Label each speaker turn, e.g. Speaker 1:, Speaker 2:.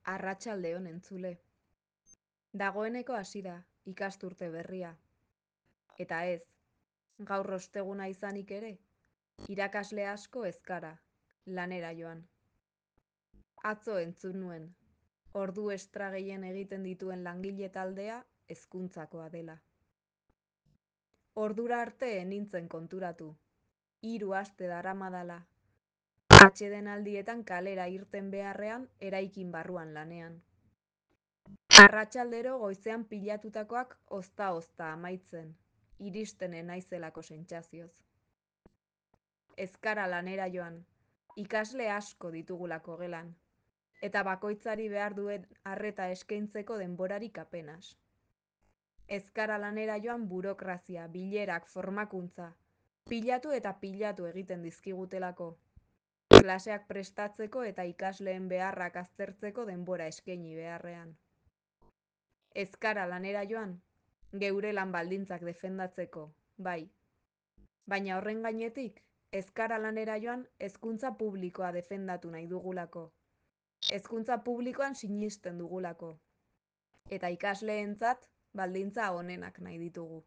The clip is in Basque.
Speaker 1: Arratsalde on entzule. Dagoeneko hasi da ikasturte berria. Eta ez, gaur osteguna izanik ere, irakasle asko ez gara, lanera joan. Atzo entzun nuen, ordu estra gehien egiten dituen langile taldea hezkuntzakoa dela. Ordura arte nintzen konturatu, 3 aste daramadala, atsedenaldietan kalera irten beharrean eraikin barruan lanean. Arratsaldero goizean pilatutakoak ozta-ozta amaitzen, iristenen naizelako sentsazioz. Ez gara lanera joan, ikasle asko ditugulako gelan, eta bakoitzari behar duen arreta eskaintzeko denborarik apenas. Ez gara lanera joan burokrazia, bilerak, formakuntza, pilatu eta pilatu egiten dizkigutelako. Klaseak prestatzeko eta ikasleen beharrak aztertzeko denbora eskaini beharrean. Ez gara lanera joan, geure lan baldintzak defendatzeko, bai. Baina horren gainetik, ez gara lanera joan hezkuntza publikoa defendatu nahi dugulako. Hezkuntza publikoan sinisten dugulako. Eta ikasleentzat baldintza onenak nahi ditugu.